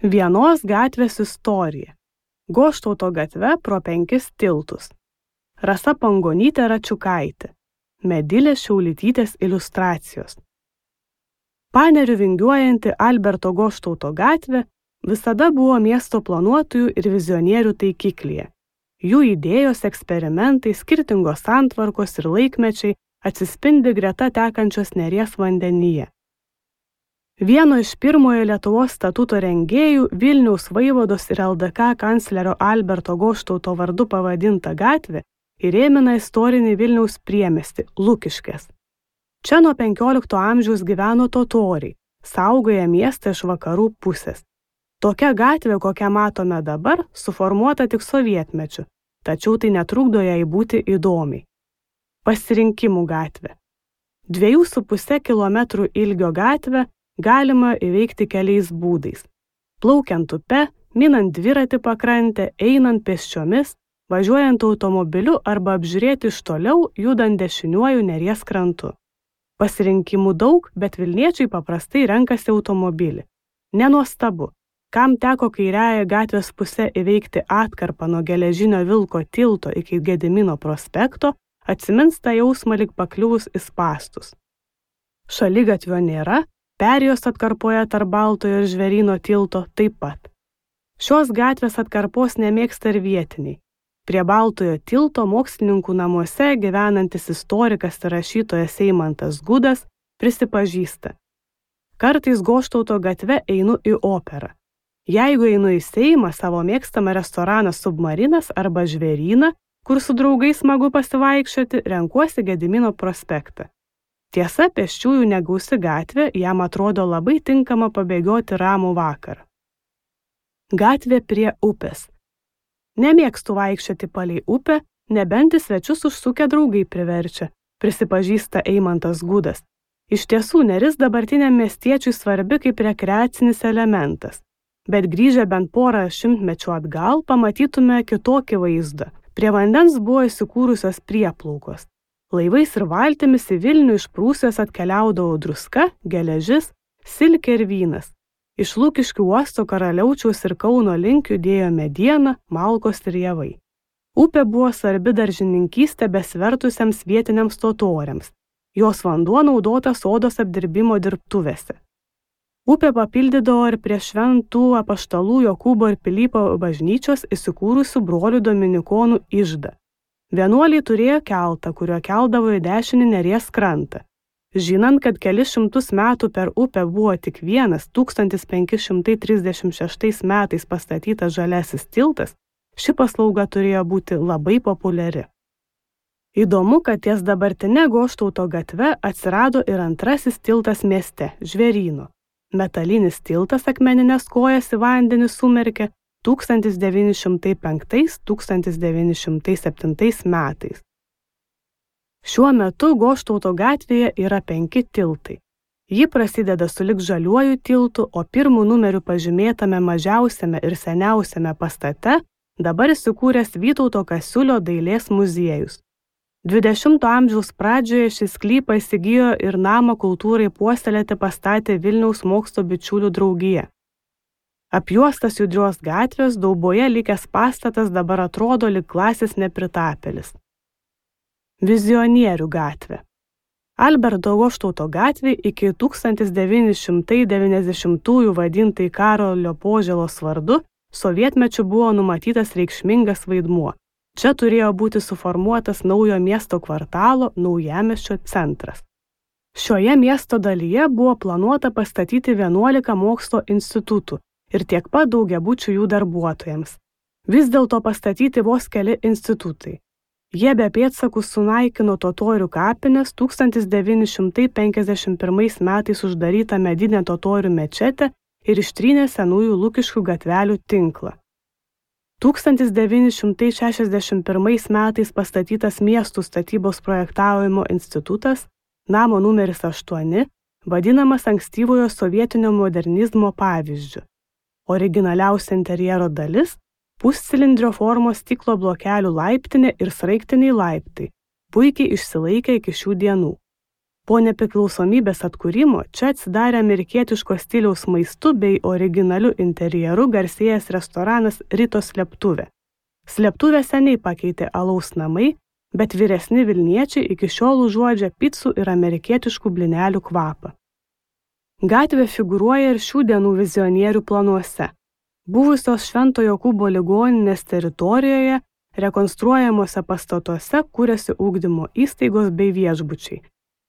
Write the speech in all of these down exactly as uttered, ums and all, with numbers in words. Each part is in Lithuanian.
Vienos gatvės istorija. Goštauto gatve pro penkis tiltus. Rasa Pangonytė Račiukaitė. Medilės Šiaulytytės iliustracijos. Panerių vingiuojanti Alberto Goštauto gatvė visada buvo miesto planuotojų ir vizionierių taikiklyje. Jų idėjos, eksperimentai, skirtingos santvarkos ir laikmečiai atsispindi greta tekančios Neries vandenyje. Vieno iš pirmojo Lietuvos statuto rengėjų Vilniaus vaivados ir L D K kanclerio Alberto Goštauto vardu pavadinta gatvė įrėmina istorinį Vilniaus priemiestį Lukiškės. Čia nuo penkiolikto amžiaus gyveno totoriai, saugoję miestą iš vakarų pusės. Tokia gatvė, kokią matome dabar, suformuota tik sovietmečiu, tačiau tai netrukdo jai būti įdomiai. Pasirinkimų gatvė. Dviejų su puse kilometrų ilgio gatvę galima įveikti keliais būdais. Plaukiant upe, minant dviratį pakrantę, einant pėsčiomis, važiuojant automobiliu arba apžiūrėti iš toliau, judant dešiniuoju Neries krantu. Pasirinkimų daug, bet vilniečiai paprastai renkasi automobilį. Nenuostabu, kam teko kairiąją gatvės pusę įveikti atkarpą nuo Geležinio Vilko tilto iki Gedimino prospekto, atsimins tą jausmą lyg pakliuvus į spąstus. Šaligatvio nėra, perėjos atkarpoje tarp Baltojo ir Žvėryno tilto taip pat. Šios gatvės atkarpos nemėgsta ir vietiniai. Prie Baltojo tilto mokslininkų namuose gyvenantis istorikas ir rašytojas Eimantas Gudas prisipažįsta. Kartais Goštauto gatve einu į operą. Jeigu einu į Seimą, savo mėgstamą restoraną Submarinas arba Žvėryną, kur su draugais smagu pasivaikščioti, renkuosi Gedimino prospektą. Tiesa, pėsčiųjų negausi gatvė jam atrodo labai tinkama pabėgioti ramų vakarą. Gatvė prie upės. Nemėgstu vaikščioti palei upę, nebent į svečius užsukę draugai priverčia, prisipažįsta Eimantas Gudas. Iš tiesų, Neris dabartiniam miestiečiui svarbi kaip rekreacinis elementas, bet grįžę bent porą šimtmečių atgal pamatytume kitokį vaizdą. Prie vandens buvo įsikūrusios prieplaukos. Laivais ir valtimis į Vilnių iš Prūsijos atkeliaudavo druska, geležis, silkė ir vynas. Iš Lukiškių uosto Karaliaučiaus ir Kauno link judėjo mediena, malkos ir javai. Upė buvo svarbi daržininkystė besvertusiems vietiniams totoriams. Jos vanduo naudotas odos apdirbimo dirbtuvėse. Upė papildydavo ir prie šventų apaštalų Jokūbo ir Pilypo bažnyčios įsikūrusių brolių dominikonų iždą. Vienuoliai turėjo keltą, kuriuo keldavo į dešinį Neries krantą. Žinant, kad kelis šimtus metų per upę buvo tik vienas tūkstantis penki šimtai trisdešimt šeštais metais pastatytas žaliasis tiltas, ši paslauga turėjo būti labai populiari. Įdomu, kad ties dabartinė Goštauto gatve atsirado ir antrasis tiltas mieste – Žvėryno. Metalinis tiltas akmeninės kojas į vandenį sumerkė tūkstantis devyni šimtai penktais - tūkstantis devyni šimtai septintais metais. Šiuo metu Goštauto gatvėje yra penki tiltai. Ji prasideda sulig Žaliuoju tiltu, o pirmų numerių pažymėtame mažiausiame ir seniausiame pastate dabar įsikūręs Vytauto Kasiulio dailės muziejus. dvidešimto amžiaus pradžioje šį sklypą įsigijo ir namą kultūrai puoselėti pastatė Vilniaus mokslo bičiulių draugija. Apjuostas judrios gatvės dauboje likęs pastatas dabar atrodo lyg klasės nepritapėlis. Vizionierių gatvė. Alberto Goštauto gatvė iki tūkstantis devyni šimtai devyniasdešimtųjų vadintai Karolio Požėlos vardu sovietmečiu buvo numatytas reikšmingas vaidmuo. Čia turėjo būti suformuotas naujo miesto kvartalo Naujamiesčio centras. Šioje miesto dalyje buvo planuota pastatyti vienuolika mokslo institutų ir tiek pat daugiabučių jų darbuotojams. Vis dėlto pastatyti vos keli institutai. Jie be pėdsakų sunaikino totorių kapines, tūkstantis devyni šimtai penkiasdešimt pirmais metais uždarytą medinę totorių mečetę ir ištrynė senųjų Lukiškių gatvelių tinklą. tūkstantis devyni šimtai šešiasdešimt pirmais metais pastatytas miestų statybos projektavimo institutas, namo numeris aštuoni, vadinamas ankstyvojo sovietinio modernizmo pavyzdžiu. Originaliausia interjero dalis – puscilindrio formos stiklo blokelių laiptinė ir sraigtiniai laiptai, puikiai išsilaikę iki šių dienų. Po nepriklausomybės atkūrimo čia atsidarė amerikietiško stiliaus maistu bei originaliu interjeru garsėjęs restoranas Ritos slėptuvė. Slėptuvę seniai pakeitė alaus namai, bet vyresni Vilniečiai iki šiol užuodžia picų ir amerikietiškų blynelių kvapą. Gatvė figūruoja ir šių dienų vizionierių planuose. Buvusios Švento Jokūbo ligoninės teritorijoje rekonstruojamuose pastatuose kūrėsi ugdymo įstaigos bei viešbučiai.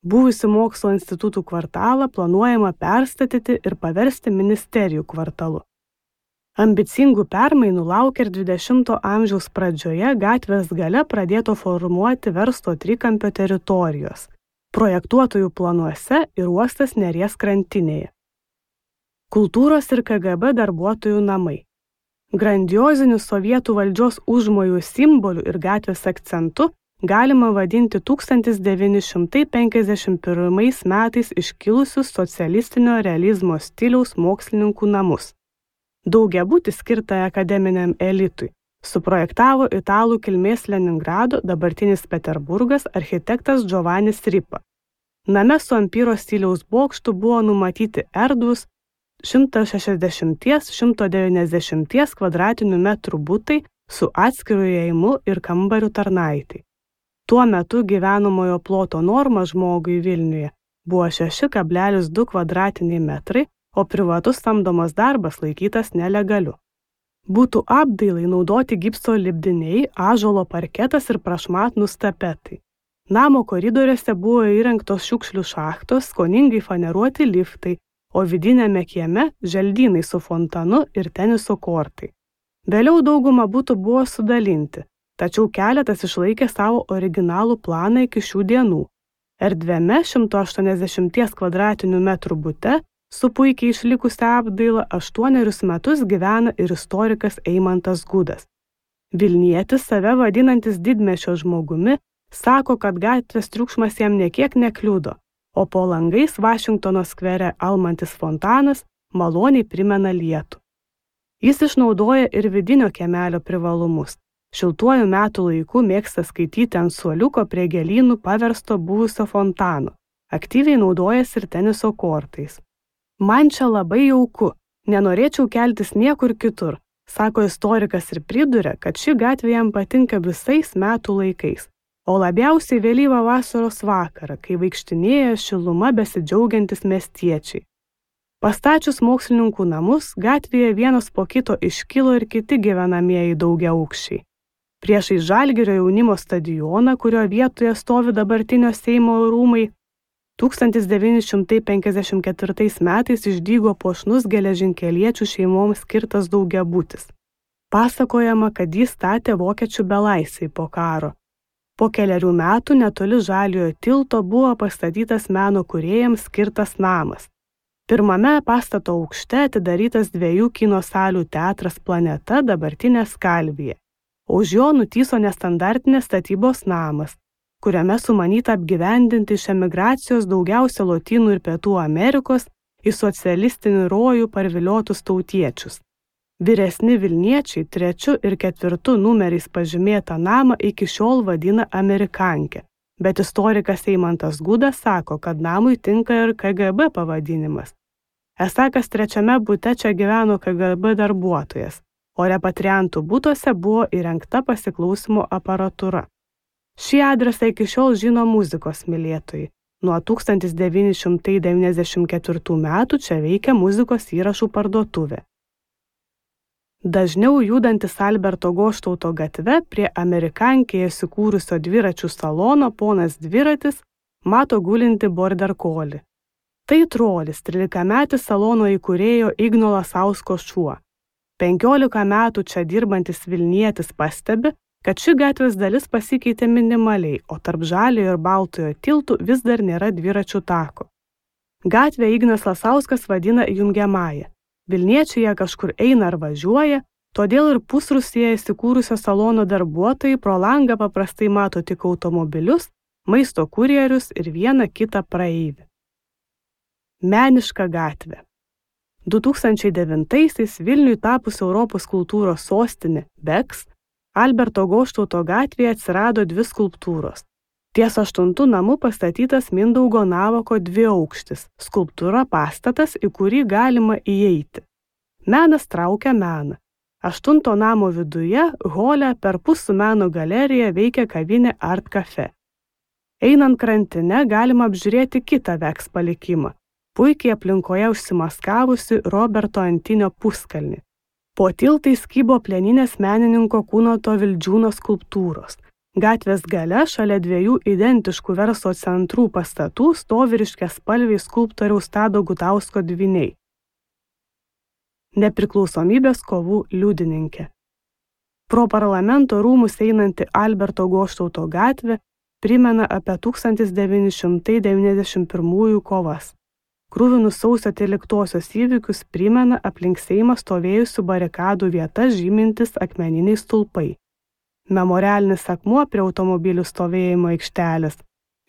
Buvusi mokslo institutų kvartalą planuojama perstatyti ir paversti ministerijų kvartalu. Ambicingų permainų laukia ir dvidešimto amžiaus pradžioje gatvės gale pradėto formuoti verslo trikampio teritorijos, projektuotojų planuose ir uostas Neries krantinėje. Kultūros ir K G B darbuotojų namai. Grandioziniu sovietų valdžios užmojų simboliu ir gatvės akcentu galima vadinti tūkstantis devyni šimtai penkiasdešimt pirmais metais iškilusius socialistinio realizmo stiliaus mokslininkų namus. Daugiabutį skirtą akademiniam elitui suprojektavo italų kilmės Leningrado, dabartinis Peterburgas, architektas Giovannis Ripa. Name su ampyro stiliaus bokštu buvo numatyti erdvūs šimto šešiasdešimt - šimto devyniasdešimt kvadratinių metrų butai su atskiru įėjimu ir kambariu tarnaitai. Tuo metu gyvenamojo ploto norma žmogui Vilniuje buvo šeši kablelis du kvadratiniai metrai, o privatus samdomas darbas laikytas nelegaliu. Būtų apdailai naudoti gipso lipdiniai, ąžuolo parketas ir prašmatnūs tapetai. Namo koridoriuose buvo įrengtos šiukšlių šachtos, skoningai faneruoti liftai, o vidinėme kieme želdynai su fontanu ir teniso kortai. Vėliau dauguma butų buvo sudalinti, tačiau keletas išlaikė savo originalų planą iki šių dienų. Erdviame šimto aštuoniasdešimt kvadratinių metrų bute su puikiai išlikusia apdaila aštuonerius metus gyvena ir istorikas Eimantas Gudas. Vilnietis, save vadinantis didmiesčio žmogumi, sako, kad gatvės triukšmas jam niekiek nekliudo, o po langais Vašingtono skvere almantis fontanas maloniai primena lietų. Jis išnaudoja ir vidinio kiemelio privalumus. Šiltuoju metų laiku mėgsta skaityti ant suoliuko prie gėlynų paversto buvusio fontano. Aktyviai naudojasi ir teniso kortais. Man čia labai jauku, nenorėčiau keltis niekur kitur, sako istorikas ir priduria, kad ši gatvė jam patinka visais metų laikais, o labiausiai vėlyvą vasaros vakarą, kai vaikštinėja šiluma besidžiaugiantis miestiečiai. Pastačius mokslininkų namus, gatvėje vienas po kito iškilo ir kiti gyvenamieji daugiaaukščiai. Priešai Žalgirio jaunimo stadioną, kurio vietoje stovi dabartinio Seimo rūmai, tūkstantis devyni šimtai penkiasdešimt ketvirtais metais išdygo puošnus geležinkeliečių šeimoms skirtas daugiabutis. Pasakojama, kad jį statė vokiečių belaisviai po karo. Po keliarių metų netoli Žaliojo tilto buvo pastatytas meno kūrėjams skirtas namas. Pirmame pastato aukšte atidarytas dviejų kino salių teatras Planeta, dabartinė Skalvija. Už jo nutyso nestandartinės statybos namas, kuriame sumanyta apgyvendinti iš emigracijos daugiausia Lotynų ir Pietų Amerikos į socialistinį rojų parviliotus tautiečius. Vyresni Vilniečiai trečiu ir ketvirtu numeriais pažymėtą namą iki šiol vadina Amerikanke, bet istorikas Eimantas Gudas sako, kad namui tinka ir K G B pavadinimas. Esą kas trečiame bute čia gyveno K G B darbuotojas, o repatriantų butuose buvo įrengta pasiklausimo aparatūra. Šį adresą iki šiol žino muzikos mylėtojai. Nuo tūkstantis devyni šimtai devyniasdešimt ketvirtų metų čia veikia muzikos įrašų parduotuvė. Dažniau judantis Alberto Goštauto gatve prie Amerikankėje įsikūrusio dviračių salono ponas Dviratis mato gulinti border collie. Tai trolis, trylikametis salono įkūrėjo Igno Lasausko šuo. Penkiolika metų čia dirbantis Vilnietis pastebi, kad ši gatvės dalis pasikeitė minimaliai, o tarp Žaliojo ir Baltojo tiltų vis dar nėra dviračių tako. Gatvę Ignas Lasauskas vadina jungiamąja. Vilniečiai ją kažkur eina ar važiuoja, todėl ir pusrūsyje įsikūrusio salono darbuotojai pro langą paprastai mato tik automobilius, maisto kurjerius ir vieną kitą praeivį. Meniška gatvė. du tūkstančiai devintaisiais Vilniui tapus Europos kultūros sostinė Beks, Alberto Goštauto gatvėje atsirado dvi skulptūros. Ties aštuntų namu pastatytas Mindaugo Navako dviaukštis, skulptūra pastatas, į kurį galima įeiti. Menas traukia meną. Aštunto namo viduje, hole, perpus su meno galerija veikia kavinė Art Cafe. Einant krantine galima apžiūrėti kitą Veks palikimą, puikiai aplinkoje užsimaskavusi Roberto Antinio puskalnį. Po tiltais kybo plieninės menininko Kunoto Vildžiūno skulptūros. Gatvės gale šalia dviejų identiškų verslo centrų pastatų stovi ryškiaspalviai skulptoriaus Tado Gutausko dvyniai. Nepriklausomybės kovų liudininkė. Pro parlamento rūmus einanti Alberto Goštauto gatvė primena apie tūkstantis devyni šimtai devyniasdešimt pirmųjų kovas. Krūvinus sausio tryliktosios įvykius primena aplink Seimą stovėjusių barikadų vietas žymintis akmeniniai stulpai. Memorialinis akmuo prie automobilių stovėjimo aikštelės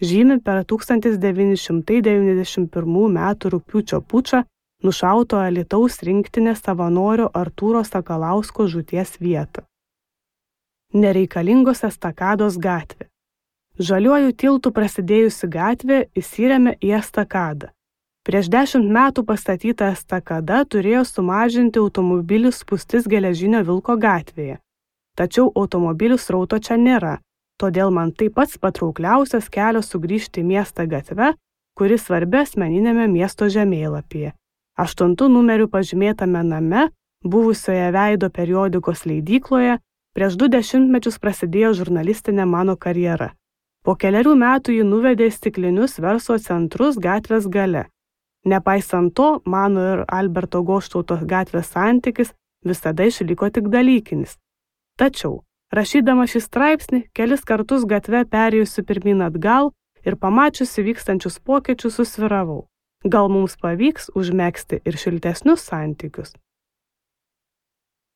žymi per tūkstantis devyni šimtai devyniasdešimt pirmų metų rugpjūčio pučą nušauto Alytaus rinktinės savanorio Artūro Sakalausko žūties vietą. Nereikalingos estakados gatvė. Žaliuoju tiltu prasidėjusi gatvė įsiremia į estakadą. Prieš dešimt metų pastatyta estakada turėjo sumažinti automobilių spūstis Geležinio Vilko gatvėje. Tačiau automobilių srauto čia nėra, todėl man tai pats patraukliausias kelias sugrįžti į miestą gatve, kuris svarbi asmeninėme miesto žemėlapyje. Aštuntų numerių pažymėtame name, buvusioje Veido periodikos leidykloje, prieš du dešimtmečius prasidėjo žurnalistinė mano karjera. Po keliarių metų ji nuvedė į stiklinius verslo centrus gatvės gale. Nepaisant to, mano ir Alberto Goštauto gatvės santykis visada išliko tik dalykinis. Tačiau, rašydama šį straipsnį, kelis kartus gatve perėjusi pirmyn atgal ir pamačiusi vykstančius pokyčius susviravau. Gal mums pavyks užmegzti ir šiltesnius santykius?